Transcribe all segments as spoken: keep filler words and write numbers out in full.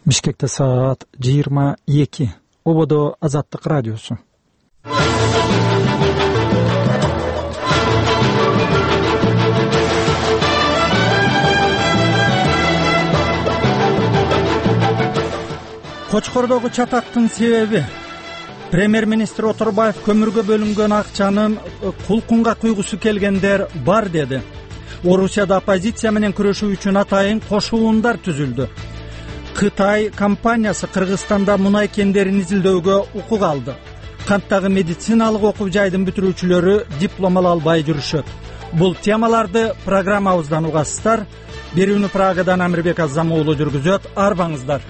Бишкекте саат жыйырма эки. Ободо Азаттык радиосу. Кочкордогу чатактын себеби премьер-министр Оторбаев көмүргө бөлүнгөн акчанын кулкунга куйгусу келгендер бар деди. Орусияда оппозиция менен күрөшүү үчүн атайын кошуундар түзүлдү. Кытай компаниясы Кыргызстанда мунай кендерин изилдөөгө укук алды. Канттагы медициналык окуу жайдын бүтүрүүчүлөрү диплом ала албай жүрүшөт. Бул темаларды программабыздан угасыздар. Берүүнү Прагадан Амирбек Азам уулу жүргүзөт. Арбаңыздар.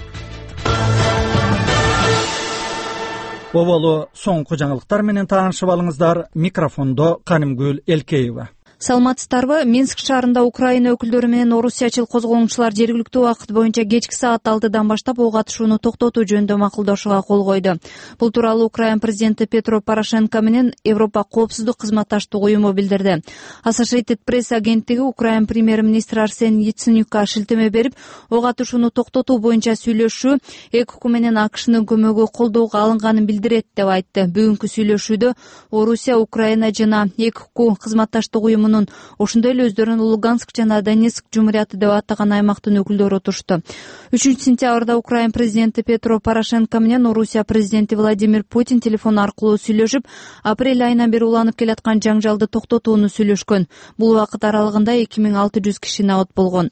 Оболу соңку жаңылыктар менен таанышып алыңыздар. Микрофондо Канымгүл Элкеева. Саламатсыздарбы? Минск шаарында Украина өкүлдөрү менен орусиячыл козголоңчулар жергиликтүү убакыт боюнча кечки саат алтыдан баштап ок атышууну токтотуу жөнүндө макулдашууга кол койду. Бул тууралуу Украина президенти Петро Порошенко менен Европа коопсуздук кызматташтык уюму билдирди. Associated Press агенттиги Украина премьер-министри Арсен Яценюкка шилтеме берип, ок атышууну токтотуу боюнча сүйлөшүү эки уку менен АКШнын көмөгү колдоого алынганын билдирет деп айтты. Бүгүнкү сүйлөшүүдө Орусия, Украина жана эки уку кызматташтык уюму ошондой эле өздөрүн Луганск жана Донецк жумурияты деп атаган аймактын өкүлдөрү отурушту. үчүнчү сентябрда Украина президенти Петро Порошенко менен Орусия президенти Владимир Путин телефон аркылуу сүйлөшүп, апрель айынан бери уланып келаткан жаңжалды токтотууну сүйлөшкөн. Бул убакыт аралыгында эки миң алты жүз киши набат болгон.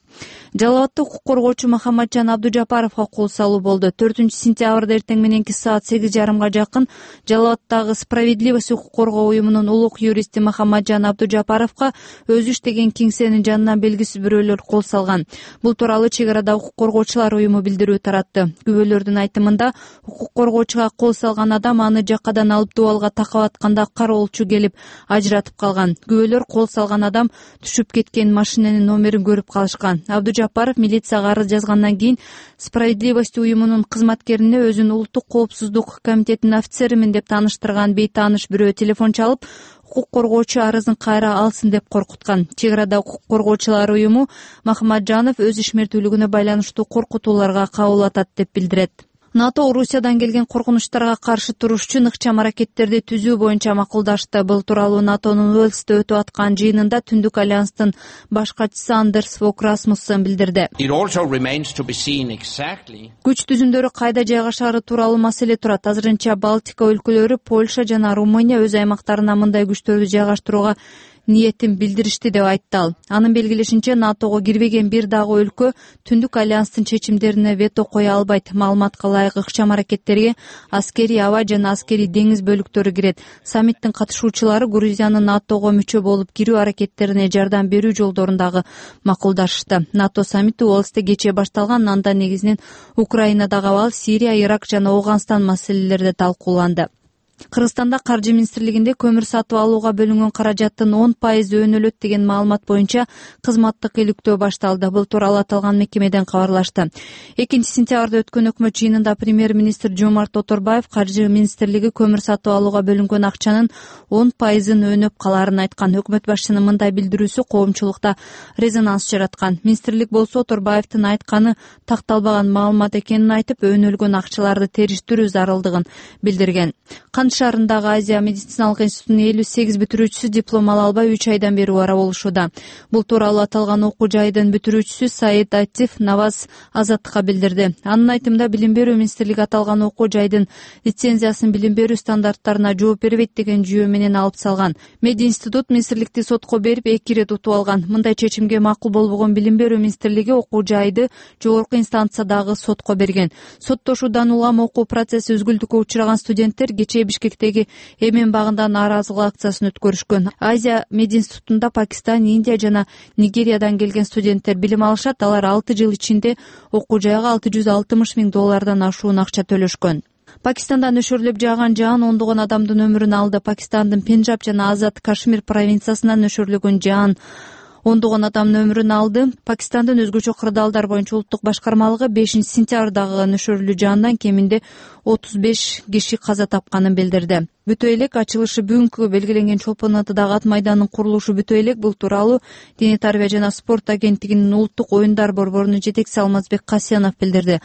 Жалал абадта укук коргоочу Махамаджан Абдужапаровго кол салуу болду. төртүнчү сентябрда эртең мененки саат сегиз жарымга жакын Жалал абадтагы Справедливость укук коргоо уюмунун улук юристи Махамаджан Абдужапаровго өзү иштеген кеңсенин жанынан белгисиз бирөөлөр кол салган. Бул тууралуу чек арада укук коргоочулар уюму билдирүү таратты. Күбөлөрдүн айтымында, укук коргоочуга кол салган адам аны жакадан алып дубалга такап атканда кароолчу келип ажыратып калган. Күбөлөр кол салган адам түшүп кеткен машинанын номерин көрүп калышкан. Абдужапаров милицияга арыз жазгандан кийин Справедливость уюмунун кызматкерине өзүн улуттук коопсуздук комитетинин офицеримин деп тааныштырган бейтааныш бирөө телефон чалып, укук коргоочу арызын кайра алсын деп коркуткан. Чек арада укук коргоочулар уюму Махамаджанов өз ишмердүүлүгүнө байланыштуу коркутууларга кабыл атат деп билдирет. НАТО Орусиядан келген коркунучтарга каршы туруш үчүн ыкчам аракеттерди түзүү боюнча макулдашты. Бул тууралуу НАТОнун Уэльсте өтүп аткан жыйынында Түндүк альянстын баш катчысы Андерс Фок Расмуссен билдирди. Күч түзүмдөрү кайда жайгашаары тууралуу маселе турат. Азырынча Балтика өлкөлөрү, Польша жана Румыния өз аймактарына мындай күчтөрдү жайгаштырууга ниетин билдиришти деп айтты ал. Анын белгилешинче, НАТОго кирбеген бир дагы өлкө Түндүк альянстын чечимдерине вето кое албайт. Маалыматка ылайык ыкчам аракеттерге аскерий аба жана аскерий деңиз бөлүктөрү кирет. Саммиттин катышуучулары Грузиянын НАТОго мүчө болуп кирүү аракеттерине жардам берүү жолдорун дагы макулдашты. НАТО саммити Уэльсте кечээ башталган, анда негизинен Украинадагы абал, Сирия, Ирак жана Ооганстан маселелери талкууланды. Кыргызстанда каржы министрлигинде көмүр сатып алууга бөлүнгөн каражаттын он пайызы өнөлөт деген маалымат боюнча кызматтык иликтөө башталды. Бул тууралуу аталган мекемеден кабарлашты. экинчи сентябрда өткөн өкмөт жыйынында премьер-министр Жомарт Оторбаев каржы министрлиги көмүр сатып алууга бөлүнгөн акчанын он пайызын өнөп калаарын айткан. Өкмөт башчынын мындай билдирүүсү коомчулукта резонанс жараткан. Министрлик болсо Оторбаевдин айтканы такталбаган маалымат экенин айтып, өнөлгөн акчаларды териштирүү зарылдыгын билдирген. Шаарындагы Азия медициналык институтунун элүү сегиз бүтүрүүчүсү диплом ала албай үч айдан бери ара болушууда. Бул тууралуу аталган окуу жайдын бүтүрүүчүсү Саид Атиф Наваз Азаттыкка билдирди. Анын айтымында, билим берүү министрлиги аталган окуу жайдын лицензиясын билим берүү стандарттарына жооп бербейт деген жүйө менен алып салган. Меди институт министрликти сотко берип эки ирет утуп алган. Мындай чечимге макул болбогон билим берүү министрлиги окуу жайды жогорку инстанциядагы сотко берген. Соттошуудан улам окуу процесси үзгүлтүккө учураган студенттер кечээ Бишкектеги Эмен багында нааразылык акциясын өткөрүшкөн. Азия мединститутунда Пакистан, Индия жана Нигериядан келген студенттер билим алышат. Алар алты жыл ичинде окуу жайга алты жүз алтымыш миң доллардан ашуун акча төлөшкөн. Пакистанда нөшөрлөп жааган жаан ондогон адамдын өмүрүн алды. Пакистандын Пенджаб жана Азат Кашмир провинциясынан нөшөрлөгөн жаан ондогон адамдын өмүрүн алды. Пакистандын өзгөчө кырдаалдар боюнча улуттук башкармалыгы бешинчи сентябрдагы нөшөрлүү жаандан кеминде отуз беш киши каза тапканын билдирди. Бүтө элек ачылышы бүгүнкү белгиленген Чолпон атадагы ат майданынын курулушу бүтө элек. Бул тууралуу Дене тарбия жана спорт агенттигинин улуттук оюндар борборунун жетекчиси Алмазбек Касьянов билдирди.